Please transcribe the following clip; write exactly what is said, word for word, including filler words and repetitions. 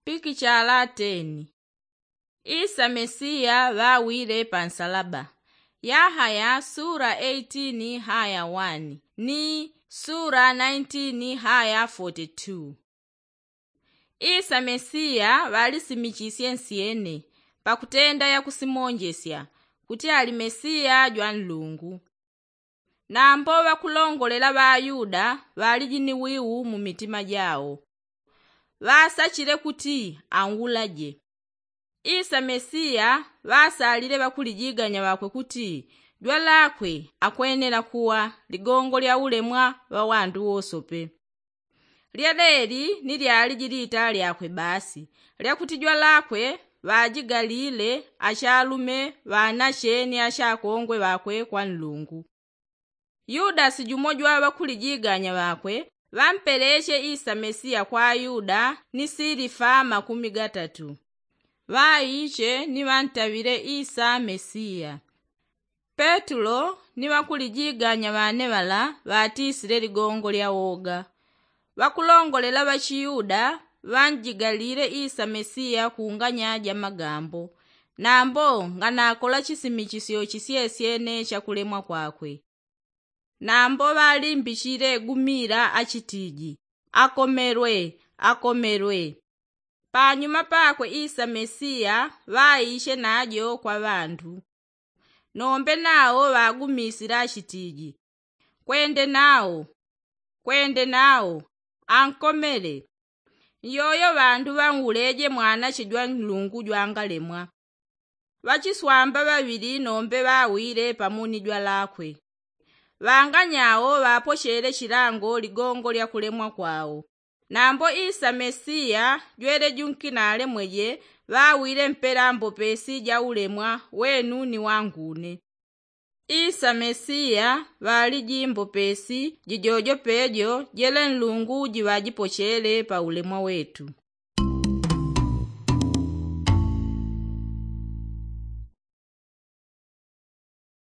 Pikichala teni. Isa mesiya ŵawile pa nsalaba. Yahaya sula eighteen haya one ni sula nineteen haya forty-two. Isa mesiya ŵalisimisisye nsyene pakutenda yakusimonjesya kuti ali mesiya jwa nlungu. Nambo ŵakulongolela ŵayuda ŵaliji ni wiu mu mitima jao. Ŵasachile kuti aulaje. Isa mesiya ŵasalile ŵakulijiganya ŵakwe kuti jwalakwe akwenela kuwa ligongo lya ulemwa ŵa wandu wosope. Lyeleli ni lyaliji lita lyakwe basi lyakuti jwalakwe ŵajigalile achalume ŵanache ni achakongwe ŵakwe kwa nlungu. Yudasi jumo jwa ŵakulijiganya ŵakwe ŵampeleche isa mesiya kwa ayuda ni silifa makumi gatatu. Ŵaiche ni ŵantaŵile isa mesiya. Petulo ni ŵakulijiganya ŵane ŵala ŵatisile ligongo lya woga. Ŵakulongolela ŵachiyuda ŵanjigalile isa mesiya kunganya ja magambo nambo nganakola chisimichisyo chisyesyene cha kulemwa kwakwe. Nambo ŵalimbichile gumila achitiji, akomelwe, akomelwe. Panyuma pakwe isa mesiya ŵaiche najo kwa ŵandu. Nombe nao ŵagumisile achitiji, kwende nao, kwende nao, ankomele. Nyoyo ŵandu ŵanwuleje mwanache jwa nlungu jwangalemwa. Ŵachiswamba ŵaŵili nombe ŵawile pamo ni jwalakwe. Ŵanganyao ŵapochele chilango ligongo lya kulemwa kwao. Nambo isa mesiya jwele junkinale mweje ŵawile mpela mbopesi ja ulemwa wenu ni wangune. Isa mesiya ŵaliji mbopesi jijojo pejo jele nlungu jiŵajipochele pa ulemwa wetu.